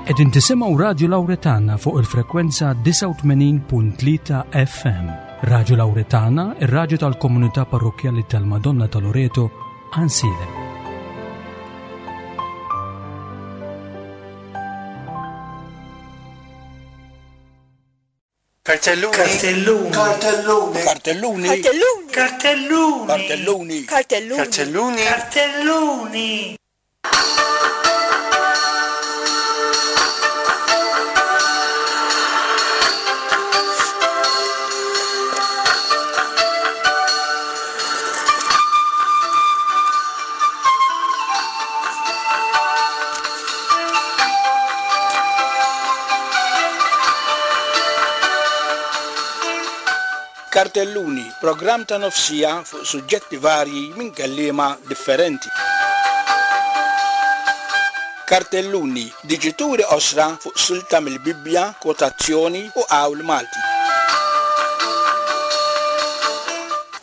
Qegħdin tisimgħu Radju Lawretana fuq il-frekwenza 89.3 FM. Radju Lawretana, ir-radju tal-komunità parrokkjali tal-Madonna ta' Loreto, Ansilem. Kartelluni. Kartelluni. Kartelluni. Kartelluni. Kartelluni. Kartelluni. Kartelluni. Kartelluni. Kartelluni. Kartelluni, programm ta' nofsija fuq suġġetti varji minn kelliema differenti. Kartelluni, diġituri qosra fuq silta mill-Bibbja, kwotazzjoni u qawl Malti.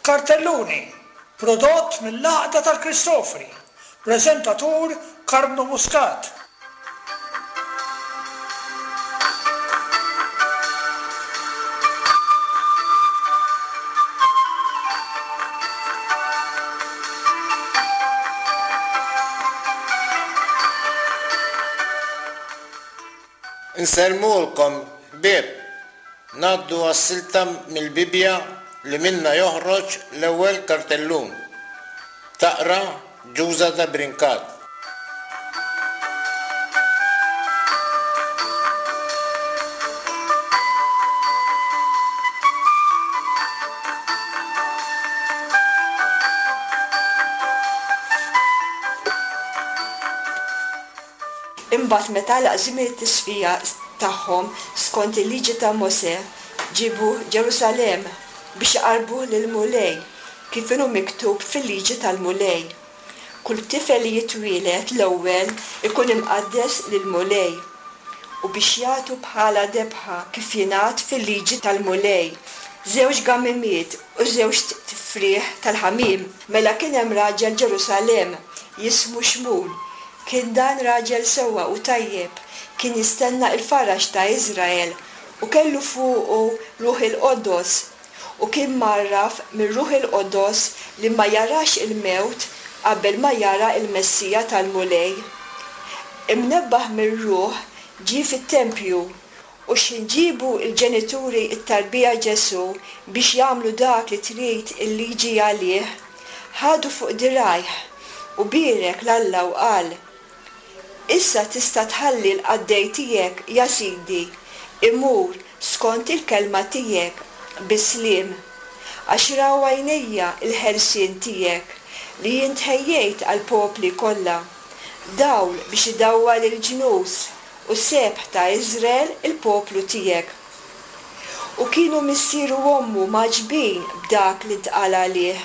Kartelluni, prodott mill-Għaqda tal-Kristofri, preżentatur Karmnu Muscat. Insellmulkom ħbieb. Ngħaddu għas-silta mill-Bibbja li minnha joħroġ l-ewwel kartellun. Taqra Ġuża de Brincat. Imbagħad meta għalaq żmien it-tisfija tagħhom skont il-liġi ta' Mosè, ġiebuh Ġerusalemm biex iqarrbuh lill-Mulej, kif inhu miktub fil-liġi tal-Mulej, Kull tifel li jitwieled l-ewwel ikun imqaddes lill-Mulej, u biex jagħtu bħala debħa kif jingħad fil-liġi tal-Mulej, żewġ gamimiet u żewġt tifrieħ tal-ħamiem. Mela kien hemm raġel Ġerusalemm, jismu Xmun. Kien dan raġel sewwa u tajjeb, kien jistenna l-faraġ ta' Iżrael, u kellu fuqu Ruħ il-Qodos, u kien mgħarraf mir-Ruħ il-Qodos li ma jarax il-mewt qabel ma jara l-Messija tal-Mulej. Imnebbaħ mir-Ruħ ġie fit-tempju, u x'ħin ġiebu l-ġenituri t-tarbija Ġesù biex jagħmlu dak li trid il-liġi għalih, ħadu fuq dirgħajh, u bierek 'l Alla u qal, Issa tista' tħalli l-qaddej tiegħek, ja Sidi, imur skont il-kelma tiegħek, bis-sliem. Għax raw għajnejja l-ħelsien tiegħek, li int ħejjejt għall-popli kollha, dawl biex idawwal il-ġnus, u sebħ ta' Iżrael il-poplu tiegħek. U kienu missieru u ommu mgħaġġbin b'dak li ntqal għalih.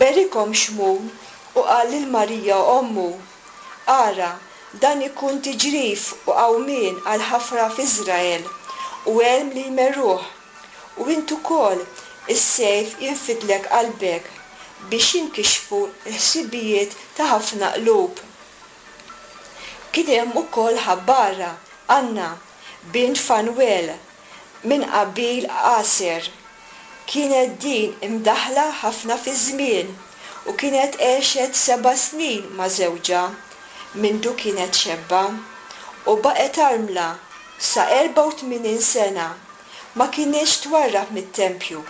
Berikhom Xmun U qal lil Marija ommu, Ara, dan ikun tiġrif u qawmien għal ħafra f'Iżrael, u għelm li jmerruh, u int ukoll is-sejf jinfidlek qalbek, biex jinkixfu l-ħsibijiet ta' ħafna qlub. Kien hemm ukoll ħabbara, Anna, bint Fanwel, minn qabil Aser. Kienet din imdaħħla ħafna fiż-żmien u kienet għexet seba' snin ma' żewġha mindu kienet xebba, u baqgħet armla sa 84 sena, ma kinitx twarrab mit-tempju,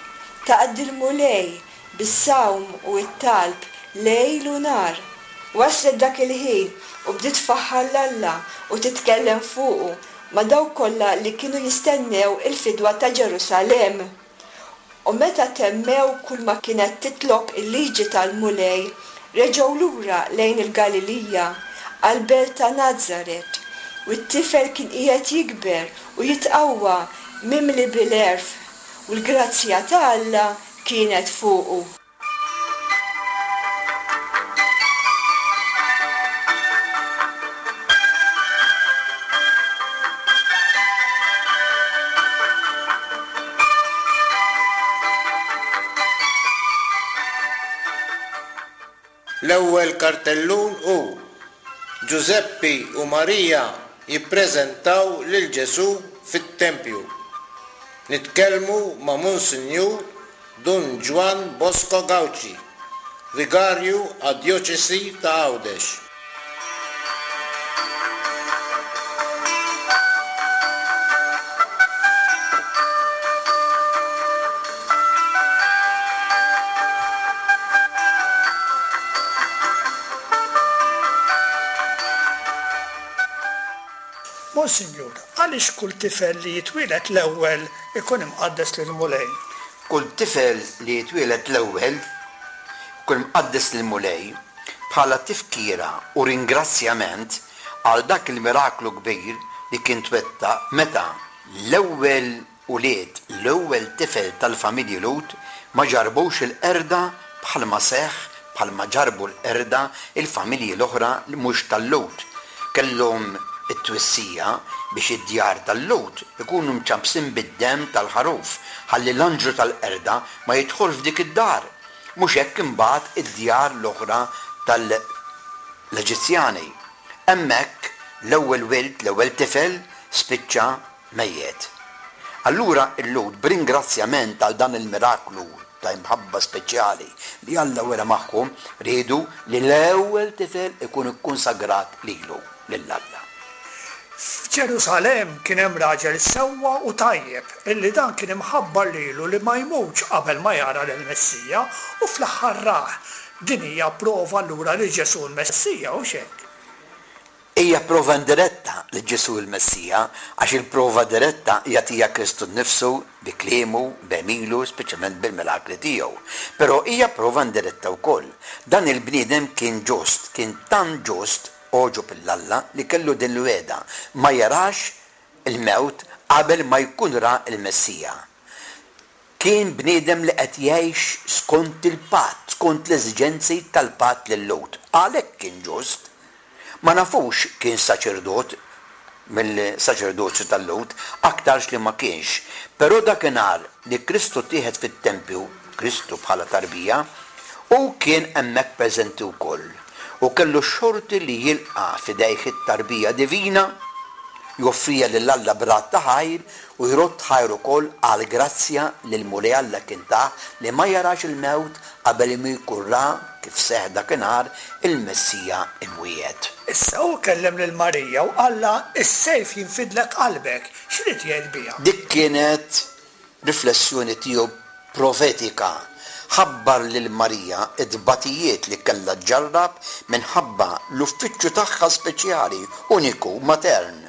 taqdi l-Mulej bis-sawm u t-talb lejl u nhar. Waslet dak il-ħin u bdiet tfaħħar 'l Alla u titkellem fuqu ma' dawk kollha li kienu jistennew il-fidwa ta' Ġerusalemm. U meta temmew kulma kienet titlob il-liġi tal-Mulej, reġgħu lura lejn il-Galilija, għall-belt ta' Nazaret. U t-tifel kien qiegħed jikber u jitqawwa, mimli bil-għerf, u l-grazzja ta' Alla kienet fuqu. L-ewwel kartellun hu, Ġużeppi u Marija. jippreżentaw lil Ġesù fit-tempju. Nitkellmu ma' Monsinjur Dun Ġwann Bosco Gauci, Vigarju għad-Djoċesi ta' Għawdex. Monsinjur, għaliex kull tifel li jitwieled l-ewwel ikun imqaddes lill-Mulej? Kull tifel li jitwieled l-ewwel ikun imqaddes lill-Mulej bħala tifkira u ringrazzjament għal dak il-miraklu kbir li kien twettaq meta l-ewwel ulied l-ewwel tifel tal-familji Lhud ma ġarrbux il-qerda bħalma seħħ bħalma ġarrbu l-qerda l-familji l-oħra li mhux tal-Lhud. Kellhom it-twissija biex id-djar tal-Lhud ikunu mċappsin bid-demm tal-ħaruf ħalli l-anġlu tal-qerda ma jidħolx f'dik id-dar. Mhux hekk imbagħad id-djar l-oħra tal-Eġizzjani. Hemmhekk l-ewwel wild, l-ewwel tifel, spiċċa mejjet. Allura l-Lhud b'ringrazzjament għal dan il-miraklu ta' imħabba speċjali li Alla wera magħhom riedu li l-ewwel tifel ikun ikkonsagrat lilu, lil Alla. F'Ġerusalemm kien hemm raġel sewwa u tajjeb illi dan kien imħabbar lilu li ma jmutx qabel ma jara lill-Messija u fl-aħħar rah. Din hija prova allura li Ġesù l-Messija, hux hekk? Hija prova indiretta li Ġesù hu l-Messija, għax il-prova diretta jagħtiha Kristu nnifsu bi kliemu, b'għemilu, speċjalment bil-mirakli tiegħu. Però hija prova indiretta wkoll. Dan il-bniedem kien ġust, kien tant ġust, għoġob 'l Alla li kellu din l-wegħda, ma jarax il-mewt qabel ma jkun ra l-Messija. Kien bniedem li qed jgħix skont il-patt, skont l-eżiġenzi tal-patt lil-Lhud. Għalhekk kien ġust. Ma nafux kienx saċerdot mill-saċerdozju tal-Lhud, aktarx li ma kienx. Però dakinhar li Kristu ttieħed fit-tempju, Kristu bħala tarbija, hu kien hemmhekk preżenti wkoll, u kellu x-xorti li jilqa' f'idejh it-tarbija divina, joffriha lil Alla b'radd ta' ħajr u jrodd ħajr ukoll għall-grazzja li l-Mulej Alla kien tah li ma jarax il-mewt qabel ma jkun ra, kif seħħ dakinhar, il-Messija imwiegħed. Issa hu kellem lil Marija u qallha, Is-sejf jinfidlek qalbek. X'ried jgħid biha? Dik kienet riflessjoni tiegħu profetika. Ħabbar lil Marija t-tbatijiet li kellha ġġarrab minħabba l-uffiċċju tagħha speċjali, uniku, matern,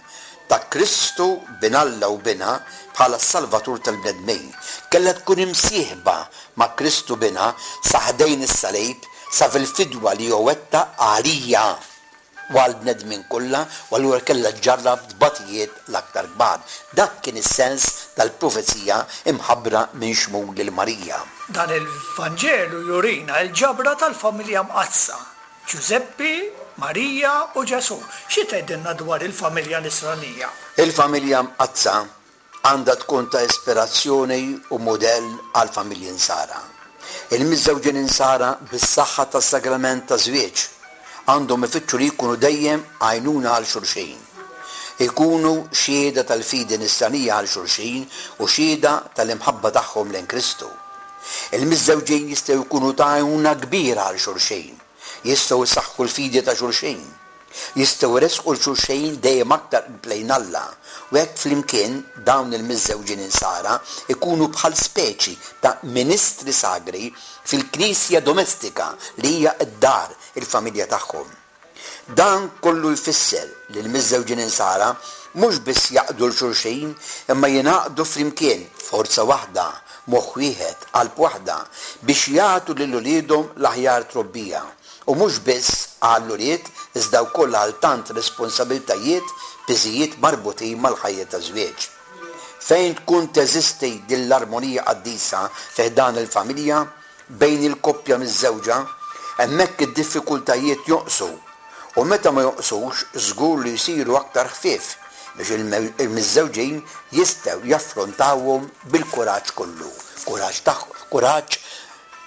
ta' Kristu Bin Alla u Binha bħala s-Salvatur tal-bnedmin. Kellha tkun imsieħba ma' Kristu Binha sa ħdejn is-salib, sa fil-fidwa li hu wettaq għalija. u għall-bnedmin kollha u allura kellha ġġarrab tbatijiet l-aktar kbar. Dak kien is-sens tal-profezija mħabbra minn Xmun lil Marija. Dan il-Vanġelu jurina l-ġabra tal-familja mqaddsa, Ġużeppi, Marija u Ġesù. Xi tgħidilna dwar il-familja Nisranija? Il-familja mqaddsa għandha tkun ta' ispirazzjoni u mudell għall-familji Nsara. Il-miżżewġin Insara bis-saħħa tas-sagrament taż-żwieġ għandhom ifittxu li jkunu dejjem għajnuna għal xulxin. Ikunu xhieda tal-fidi Nisranija għal xulxin u xhieda tal-imħabba tagħhom lejn Kristu. Il-miżżewġin jistgħu jkunu ta' għajnuna kbira għal xulxin. Jistgħu jsaħħu l-fidi ta' xulxin. Jistgħu jressqu 'l xulxin dejjem aktar qrib lejn Alla, u hekk flimkien dawn il-miżżewġin Insara jkunu bħal speċi ta' ministri sagri fil-knisja domestika li hija d-dar, il-familja tagħhom. Dan kollu jfisser li l-miżżewġin Insara mhux biss jaqdu 'l xulxin imma jingħaqdu flimkien f'forza waħda, moħħ wieħed, qalb waħda, biex jagħtu lil uliedhom l-aħjar trobbija. U mhux biss għall-ulied iżda wkoll għal tant responsabiltajiet, piżijiet marbutin mal-ħajja taż-żwieġ. Fejn tkun teżisti din l-armonija qaddisa fi ħdan il-familja, bejn il-koppja miżżewġa, hemmhekk id-diffikultajiet jonqsu u meta ma jonqsux żgur li jsiru aktar ħfief biex il-miżżewġin jistgħu jaffrontawhom bil-kuraġġ kollu, kuraġġ tagħhom, kuraġġ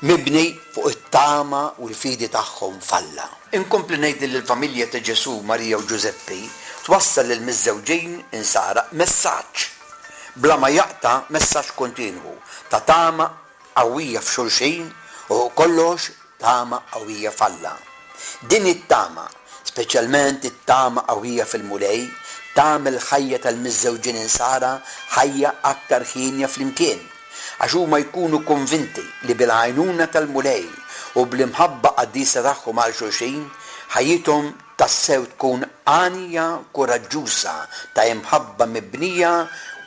mibni fuq it-tama u l-fidi tagħhom f'Alla. Inkompli ngħid li l-familja ta' Ġesù, Marija u Ġużeppi twassal lill-miżżewġin Insara messaġġ bla ma jaqta' messaġġ kontinwu ta' tama qawwija f'xulxin u fuq kollox tama qawwija f'Alla. Din it-tama, speċjalment it-tama qawwija fil-Mulej, tagħmel il-ħajja tal-miżżewġin Insara ħajja aktar hienja flimkien, għax huma jkunu konvinti li bil-għajnuna tal-Mulej u bl-imħabba qaddisa tagħhom għal xulxin, ħajjithom tassew tkun għanja kuraġġuża ta' imħabba mibnija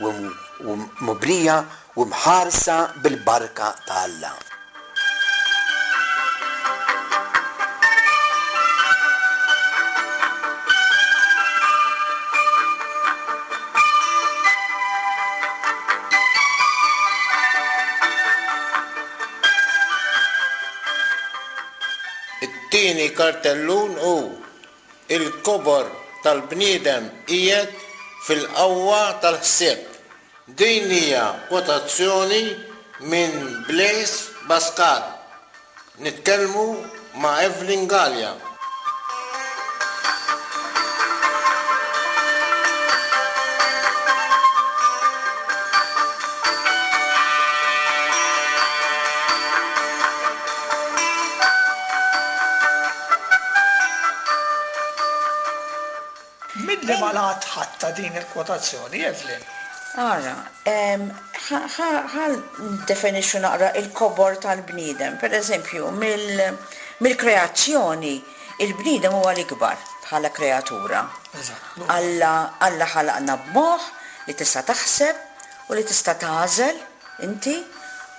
u mibnija u mħarsa bil-barka ta' Alla. It-tieni kartellun hu, Il-kobor tal-bniedem qiegħed fil-qawwa tal-ħsieb. Din hija kwotazzjoni minn Blaise Pascal. Nitkellmu ma' Evelyn Galea. Minn liema lat ħadtha din il-kwotazzjoni, Evelyn? Ara, ħa niddefinixxu naqra il-kobor tal-bniedem. Per eżempju, mill-kreazzjoni, il-bniedem huwa l-ikbar bħala kreatura. Alla, Alla ħalaqna b'moħħ li tista' taħseb u li tista' tagħżel inti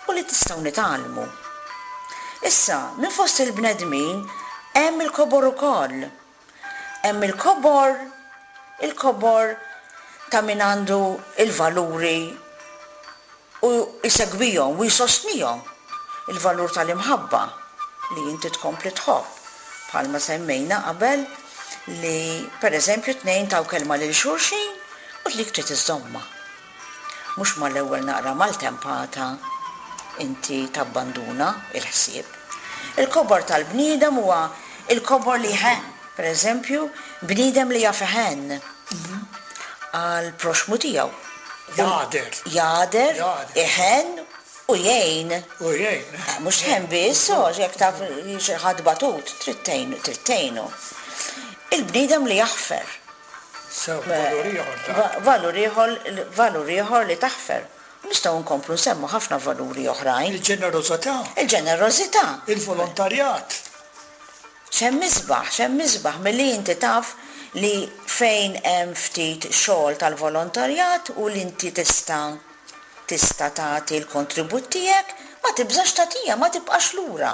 u li tistgħu nitgħallmu. Issa, minn fost il-bnedmin hemm il-kobor ukoll. Hemm il-kobor, il-kobor ta' min għandu l-valuri u jsegwihom u jsostnihom, il-valur tal-imħabba li inti tkompli tħobb, bħalma semmejna qabel li pereżempju tnejn taw kelma lil xulxin u dik trid iżżommha. Mhux mal-ewwel naqra maltempata inti tabbanduna l-ħsieb. Il-kobor tal-bniedem huwa l-kobor li jħenn. Per eżempju, bniedem li jaf iħenn għall-proxxmu tiegħu. Jagħder. Jagħder, iħenn u jgħin. U jgħin. Mhux tħenn biss, għax jekk taf li xi ħadd batut, trid tgħinu, trid tgħinu. Il-bniedem li jaħfer. Sew, valur ieħor dak. Valur ieħor, valur ieħor li taħfer. U nistgħu nkomplu nsemmu ħafna valuri oħrajn. Il-ġenerożità. Il-ġenerożità. Il-volontarjat. X'hemm isbaħ, x'hemm isbaħ milli inti taf li fejn hemm ftit xogħol tal-volontarjat u li inti tista' tista' tagħti l-kontribut tiegħek, ma tibżax tagħtiha, ma tibqax lura.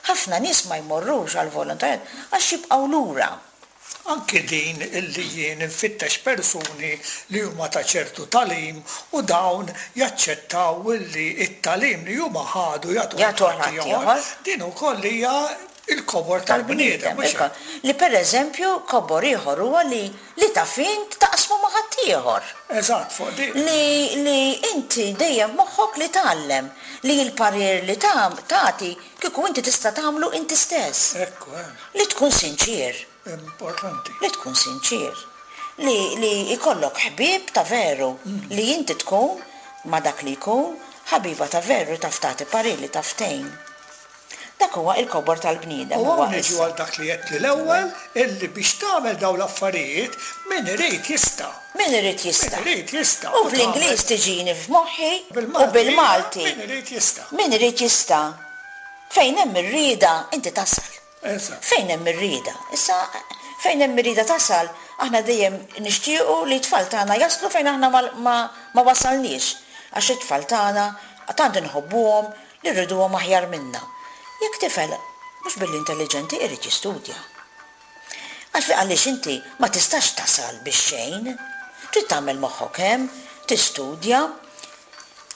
Ħafna nies ma jmorrux għall-volontarjat għax jibqgħu lura. Anki din illi jien infittex persuni li huma ta' ċertu tagħlim u dawn jaċċettaw illi t-tagħlim li huma ħadu jagħtuh lil ħaddieħor, din ukoll hija l-kobor tal-bniedem, mhux hekk? Li pereżempju kobor ieħor huwa li li taf int taqsmu ma' ħaddieħor. Eżatt, fuq din. Li li inti dejjem f'moħħok li tgħallem, li l-parir li tagħti kieku inti tista' tagħmlu inti stess. Ekku, eh. Li tkun sinċier. Importanti. Li tkun sinċier. Li li jkollok ħbieb ta' veru. Li inti tkun, ma' dak li jkun, ħabiba ta' veru li taf tagħti parir, li taf tgħin. Dak huwa il-kobor tal-bniedem U hawn niġu għal dak li għedtli l-ewwel, illi biex tagħmel dawn l-affarijiet, min irid jista'. Min irid jista'. Min irid jista'. U bl-Ingliż tiġini f'moħħi u bil-Malti. Min irid jista'. Min irid jista'. Fejn hemm ir-rieda inti tasal. Eżatt. Fejn hemm ir-rieda. Issa, fejn hemm ir-rieda tasal, aħna dejjem nixtiequ li t-tfal tagħna jaslu fejn aħna ma ma ma wasalniex. Għax it-tfal tagħna tant inħobbuhom li rriduhom aħjar minna. Jekk tifel mhux billi intelliġenti irid jistudja. Għax għaliex inti ma tistax tasal bix-xejn. Trid tagħmel moħħok hemm, tistudja,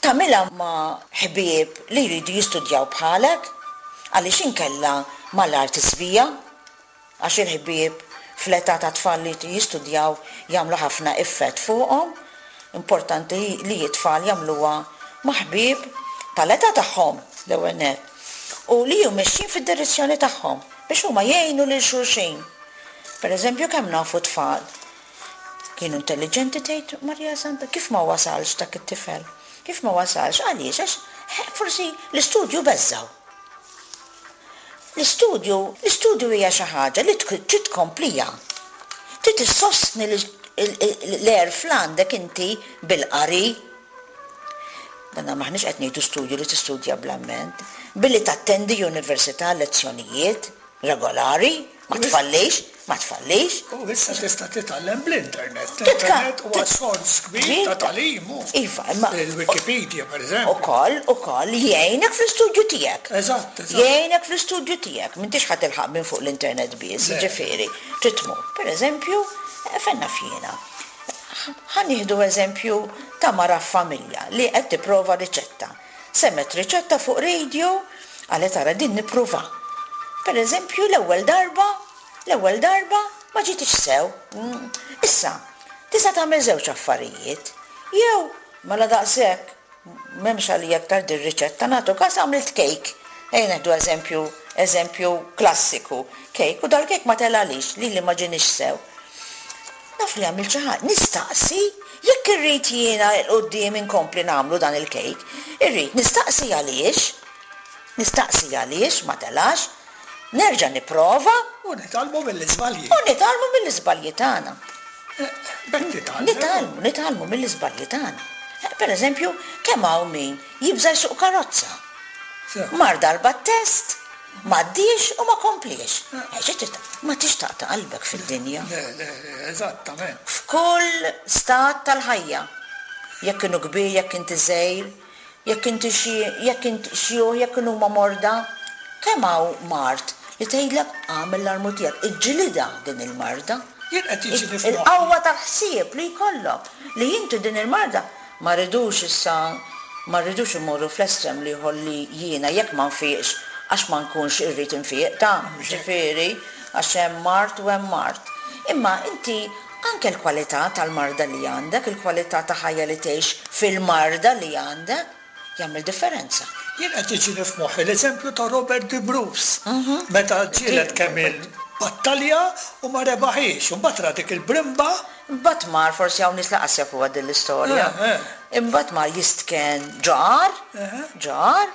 Tagħmilha ma' ħbieb li jridu jistudjaw bħalek, għaliex inkella malajr tiżvija, għax il-ħbieb fl-età ta' tfal li jistudjaw jagħmlu ħafna effett fuqhom. Importanti li t-tfal jagħmluha ma' ħbieb tal-età tagħhom l-ewwel nett u li hu mexjin fid-direzzjoni tagħhom biex huma jgħinu lil xulxin. Pereżempju kemm nafu tfal. Kienu intelliġenti tgħid Marija Santa, kif ma wasalx dak it-tifel? Kif ma wasalx? Għaliex? Għax forsi l-istudju beżżgħu. L-istudju, l-istudju hija xi ħaġa li trid tkompliha. Trid issostni l-għerf l għandek inti bil-qari. Danna m'aħniex qed ngħidu studju li tistudja bl-amment. Billi tattendi università lezzjonijiet regolari, ma tfallix, ma tfallix. U issa tista' titgħallem bl-internet. L-internet huwa sors kbir ta' tagħlim hu. Iva, imma. Il-Wikipedia, pereżempju. Ukoll, ukoll jgħinek fl-istudju tiegħek. Eżatt, eżatt. Jgħinek fl-istudju tiegħek. M'intix ħa tilħaq minn fuq l-internet biss, jiġifieri, trid tmur. Pereżempju, fejn naf jiena. Ħa nieħdu eżempju ta' mara f'familja li qed tipprova riċetta. Semgħet riċetta fuq radio, qalet ara din nippruvha. Per eżempju l-ewwel darba, l-ewwel darba ma ġietix sew. Issa, tista' tagħmel żewġ affarijiet. Jew, mela daqshekk, m'hemmx għalija iktar dir-riċetta, nagħtu każ għamilt cake. Ejja nieħdu eżempju, eżempju klassiku, cake, u dal-cake ma telgħalix, lili ma ġienix sew. Naf li għamilt xi ħaġa. Nistaqsi jekk irrid jiena 'l quddiem inkompli nagħmlu dan il-kejk. Irrid nistaqsi għaliex. Nistaqsi għaliex ma telax. Nerġa' nipprova. U nitgħallmu mill-iżbalji. U nitgħallmu mill-iżbalji tagħna. B'hekk titgħallem. Nitgħallmu, nitgħallmu mill-iżbalji tagħna. Per eżempju, kemm hawn min jibża' jsuq karozza. Mar darba t-test, M'għaddiex u ma kompliex. Ma tix taqta' qalbek fid-dinja. Le, le, le, eżattament. F'kull stat tal-ħajja. Jekk inhu kbir, jekk inti żgħir, jekk inti xi, jekk int xjuħ, jekk inhuma morda. Kemm hawn mard li tgħidlek agħmel l-armu tiegħek, iġġilidha din il-marda. Jien qed jiġini f'moħħi. Il-qawwa tal-ħsieb li jkollok li inti din il-marda Ma rridux issa, ma rridux immorru fl-estrem l-ieħor li jiena jekk ma nfiqx għax ma nkunx irrid infiq, ta, ġifieri, għax hemm mard u hemm mard. Imma inti anke l-kwalità tal-marda li għandek, il-kwalità ta' ħajja li tgħix fil-marda li għandek, jagħmel differenza. Jien qed jiġini f'moħħi l-eżempju ta' Robert de Bruce, meta ġġieled kemm-il battalja u ma rebaħhiex, u mbagħad ra dik il-brimba. Imbagħad mar, forsi hawn nies lanqas jafuha din l-istorja, imbagħad mar jistkenn ġo għar, ġo għar,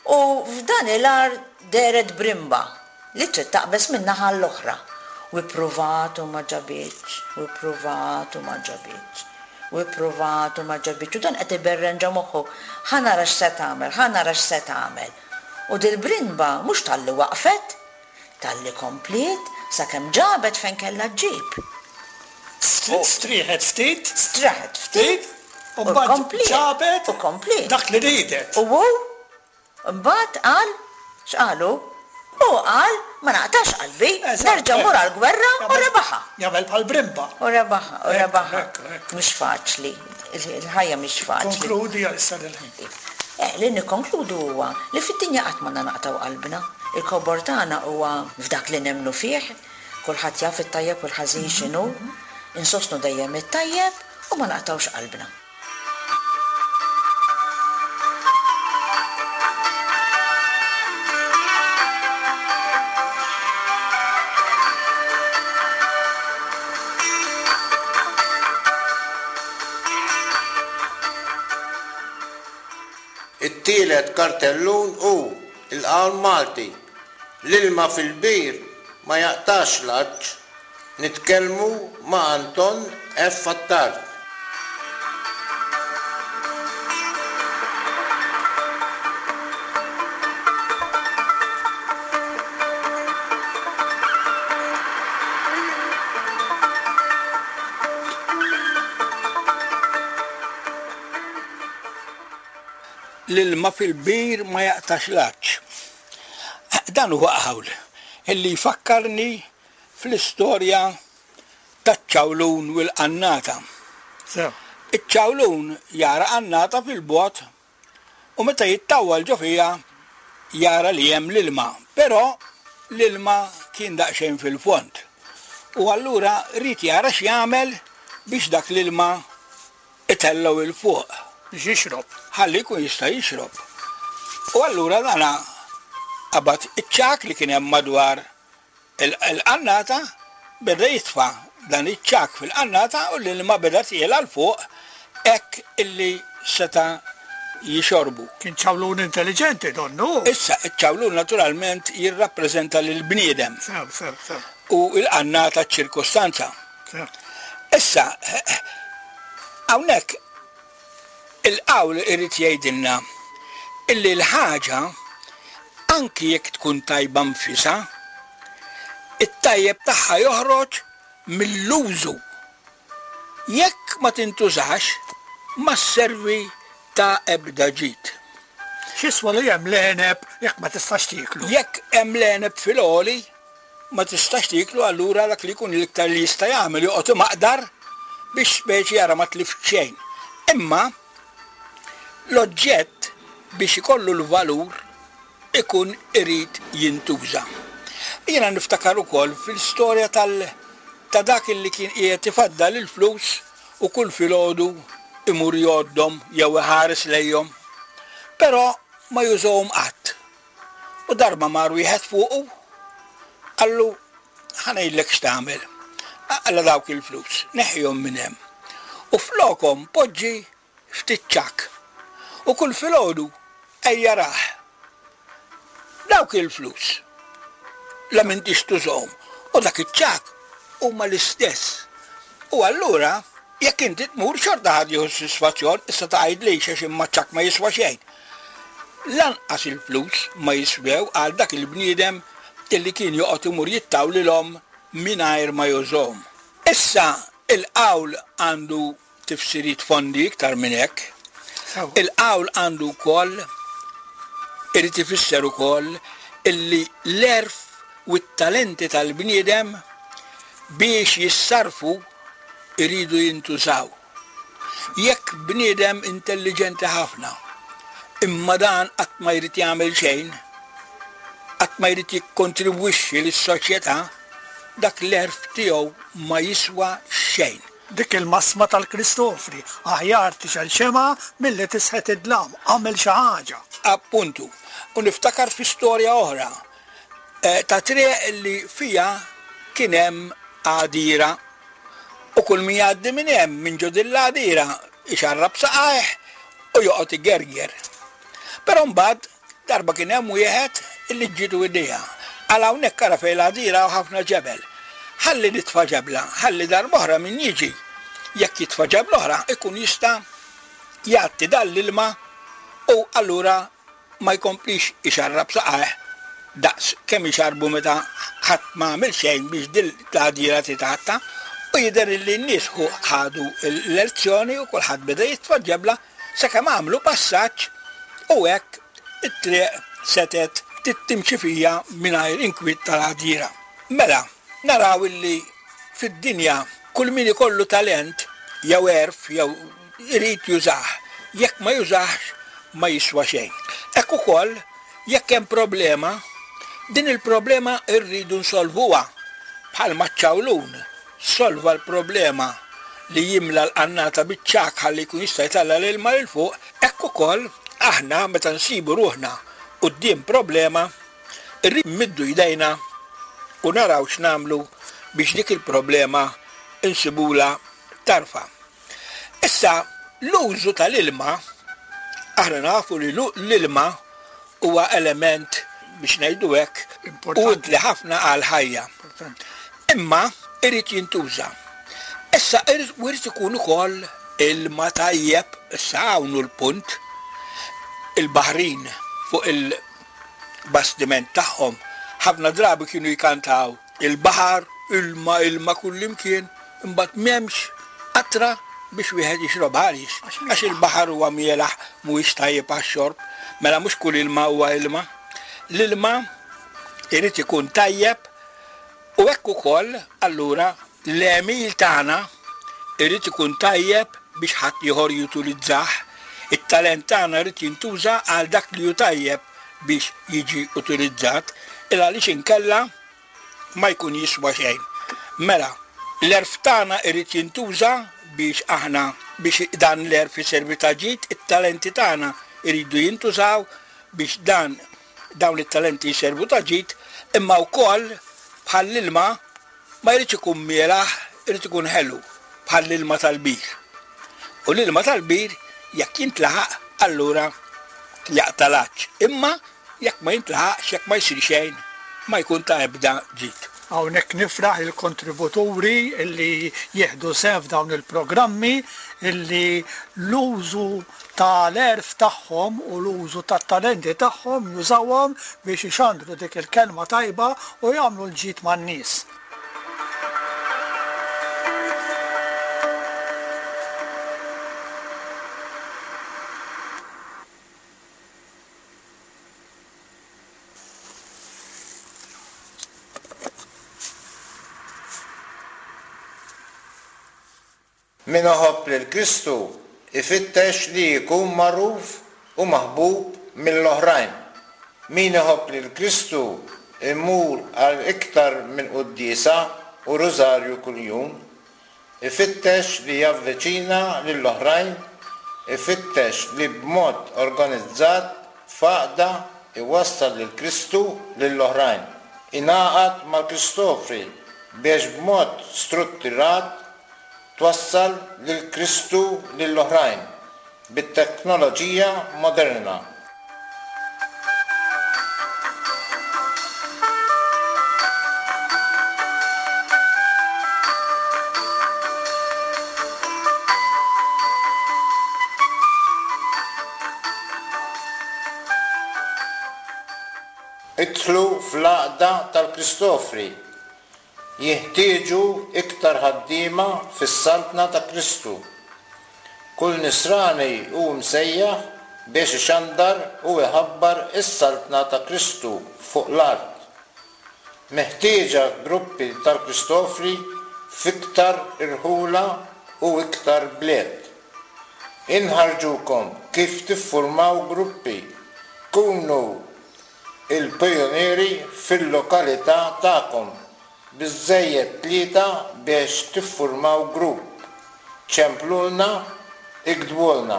u f'dan il-għar dehret brimba li trid taqbeż minn naħa għall-oħra. U ippruvat u ma ġabitx, u ippruvat u ma ġabitx, u ippruvat u ma ġabitx, u dan qed iberren ġo moħħu, ħa nara x'se tagħmel, ħa nara x'se tagħmel. U dil-brimba mhux talli waqfet, Talli kompliet sakemm ġabet fejn kellha ġġib. Strieħet ftit. Straħet ftit. U mbagħad ġabet. U kompliet. Dak li riedet. U hu mbagħad qal, x'qal hu? Hu qal, ma naqtax qalbi, nerġa' mmur għall-gwerra u rebaħha. Jagħmel bħal brimba. U rebaħha, u rebaħha. Mhux faċli, il-ħajja mhix faċli. Ikkonkludi għal issa dil-ħin. Li nikkonkludu huwa li fid-dinja qatt m'għandna naqtgħu qalbna. Il-kobor tagħna huwa f'dak li nemmnu fih, kulħadd jaf it-tajjeb u l-ħażin x'inhu, insostnu dejjem it-tajjeb u ma naqtgħux qalbna. It-tielet kartellun hu l-qawl Malti, L-ilma fil-bir ma jaqtax l-għatx. Nitkellmu ma' Anton F. Attard. L-ilma fil-bir ma jaqtax l-għatx. Dan huwa qawl illi jfakkarni fl-istorja taċ-ċawlun u l-qannata. Iċ-ċawlun jara qannata fil-bogħod u meta jittawwal ġo fiha jara li hemm l-ilma, però l-ilma kien daqsxejn fil-fond. U allura ried jara x'jagħmel biex dak l-ilma itellgħu 'il fuq. Biex jixrob. Ħalli jkun jista' jixrob. U allura dana qabad iċ-ċagħak li kien hemm madwar il-qannata, beda jitfa' dan iċ-ċagħak fil-qannata u l-ilma beda tiela' 'l fuq hekk illi seta' jixorbu. Kien ċawlun intelliġenti donnu. Issa, iċ-ċawlun naturalment jirrappreżenta lill-bniedem. Sew, sew, sew. U l-qannata ċ-ċirkustanza. Sew. Issa, hawnhekk il-qawl irid jgħidilna illi l-ħaġa anki jekk tkun tajba nfisha, it-tajjeb tagħha joħroġ mill-użu. Jekk ma tintużax, ma sservi ta' ebda ġid. X'jiswa li hemm l-għeneb jekk ma tistax tieklu? Jekk hemm l-għeneb fil-għoli, ma tistax tieklu allura dak li jkun l-iktar li jista' jagħmel joqgħod imaqdar biex speċi jara ma tlift xejn. Imma l-oġġett biex ikollu l-valur ikun irid jintuża. Jiena niftakar ukoll fil-storja tal ta' dak illi kien qiegħed ifaddal il-flus u kull filgħodu imur jgħoddhom jew iħares lejhom. Però ma jużahom qatt. U darba mar wieħed fuqu, qallu, Ħa ngħidlek x'tagħmel. Aqla' dawk il-flus, neħħihom minn hemm. U flokhom poġġi ftit ċagħak. U kull filgħodu ejja rah. Dawk il-flus la m'intix tużahom u dak iċ-ċagħak huma l-istess. U allura jekk inti tmur xorta ħa tieħu s-sisfazzjon, issa tgħidlix għax imma ċ-ċagħak ma jiswa xejn. Lanqas il-flus ma jiswew għal dak il-bniedem illi kien joqgħod imur jittawlilhom mingħajr ma jużhom. Issa il-qawl għandu tifsiriet fondi iktar minn hekk. Il-qawl għandu wkoll irid ifisser ukoll illi l-għerf u t-talenti tal-bniedem biex jissarrfu jridu jintużaw. Jekk bniedem intelliġenti ħafna, imma dan qatt ma jrid jagħmel xejn, qatt ma jrid jikkontribwixxi lis-soċjetà, dak l-għerf tiegħu ma jiswa xejn. Dik il-massma tal-Kristofri, aħjar tixgħel xemgħa milli tisħet id-dlam, agħmel xi ħaġa. Appuntu. U niftakar fi storja oħra ta' triq li fiha kien hemm għadira. U kull min jgħaddi minn hemm, minn ġo din l-għadira, ixarrab saqajh u joqgħod igerger. Però mbagħad Darba kien hemm wieħed illi ġietu idea. Qal hawnhekk ara fejn l-għadira hawn ħafna ġebel. Ħalli nitfa' ġebla, ħalli darb'oħra min jiġi, jekk jitfa' ġebla oħra ikun jista' jgħatti dan l-ilma u allura ma jkomplix ixarrab saqajh daqs kemm ixarrbu meta ħadd ma għamel xejn biex din l-għadira titgħatta. U jidher illi n-nies ħadu l-lezzjoni u kulħadd beda jitfa' ġebla sakemm għamlu passaġġ u hekk it-triq setgħet timxi fija mingħajr inkwiet tal-għadira. Mela, naraw illi fid-dinja kull min ikollu talent jew għerf jew irid jużah, jekk ma jużahx ma jiswa xejn. Hekk ukoll jekk hemm problema, din il-problema rridu nsolvuha bħalma ċ-ċawlun solva l-problema li jimla l-qannata biċ-ċagħak ħalli jkun jista' jtella' l-ilma 'l fuq, hekk ukoll aħna meta nsibu ruħna quddiem problema, irridu nmiddu jdejna u naraw x'nagħmlu biex dik il-problema nsibulha tarfa. Issa, l-użu tal-ilma, aħna nafu li l-ilma huwa element, biex ngħidu hekk, utli ħafna għall-ħajja. Imma irid jintuża. Issa irid ikun ukoll ilma tajjeb, issa hawn hu l-punt, il-baħrin fuq il-bastiment tagħhom ħafna drabi kienu jkantaw il-baħar, ilma, ilma kullimkien, Imbagħad m'hemmx qatra biex wieħed jixrobha. Għaliex? Għax il-baħar huwa mielaħ, mhuwiex tajjeb għax-xorb. Mela mhux kull ilma huwa ilma. L-ilma irid ikun tajjeb u hekk ukoll allura l-għemil tagħna irid ikun tajjeb biex ħaddieħor jutilizzah. It-talent tagħna jrid jintuża għal dak li hu tajjeb biex jiġi utilizzat, il għaliex inkella ma jkun jiswa xejn. Mela, l-għerf tagħna irid jintuża biex aħna biex dan l-għerf iservi ta' ġid, it-talenti tagħna jridu jintużaw biex dan dawn it-talenti jservu ta' ġid, imma wkoll bħall-ilma ma jridx ikun mielaħ, irid ikun ħelu bħall-ilma tal-bir. U l-ilma tal-bir jekk jintlaħaq allura jaqta' l-għatx. Imma jekk ma jintlaħaqx, jekk ma jsir xejn, ma jkun ta' ebda ġid. Hawnhekk nifraħ lill-kontributuri li jieħdu sehem f'dawn il-programmi li l-użu ta' l-għerf tagħhom u l-użu tat-talenti tagħhom jużawhom biex ixandru dik il-kelma tajba u jagħmlu l-ġid man-nies. Min iħobb lil Kristu jfittex li jkun magħruf u maħbub mill-oħrajn. Min iħobb lil Kristu jmur għal iktar minn quddiesa u rużarju kuljum. Ifittex li javviċina lill-oħrajn, ifittex li b'mod organizzat f'għaqda jwassal lil Kristu lill-oħrajn. Ingħaqad mal-Kristofri biex b'mod struttirat twassal lil Kristu lill-oħrajn bit-teknoloġija moderna. Idħlu fl-Għaqda tal-Kristofri Jinħtieġu iktar ħaddiema fis-Saltna ta' Kristu. Kull Nisrani hu msejjaħ biex ixandar u iħabbar is-Saltna ta' Kristu fuq l-art. Meħtieġa gruppi tal-Kristofri f'iktar irħula u iktar bliet. Inħarrġukom kif tiffurmaw gruppi. Kunu il-pijunieri fil-lokalità tagħkom, biżżejjed tlieta biex tiffurmaw grupp. Ċemplulna, iktbulna.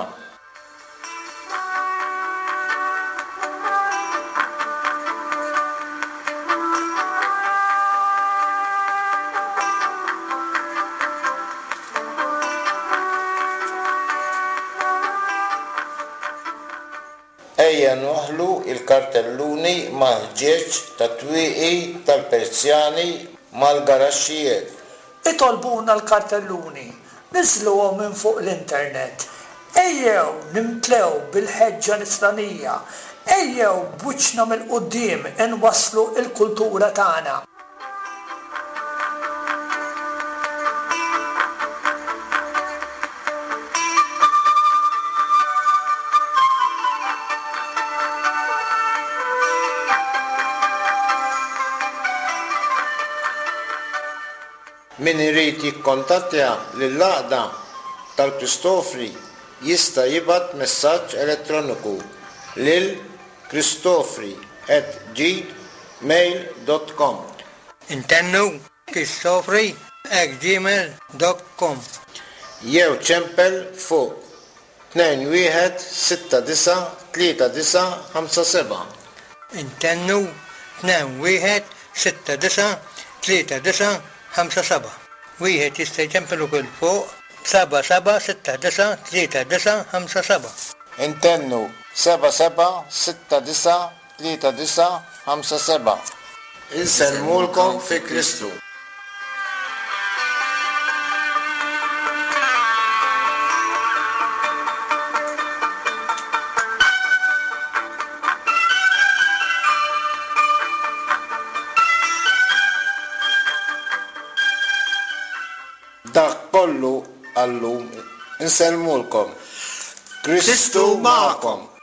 Ejja nwaħħlu l-kartelluni mal-ħġieġ tat-twieqi tal-persjani mal-garaxxijiet. Itolbuna l-kartelluni, niżżluhom minn fuq l-internet. Ejjew nimtlew bil-ħeġġa nisranija. Ejjew b'wiċċna mill-quddiem inwasslu l-kultura tagħna. Min irid jikkontattja lill-Għaqda tal-Kristofri jista' jibgħat messaġġ elettroniku lil kristofri at gmail dot com. Intennu, kristofri at gmail dot com. Jew ċempel fuq 2169 3957. Intennu, 2169 3957. Wieħed jista' jċempel ukoll fuq 7769 3957. Intennu, 77693957. Insellmulkom fi Kristu. Dak kollu għal-lum. Insellmulkom. Kristu magħkom.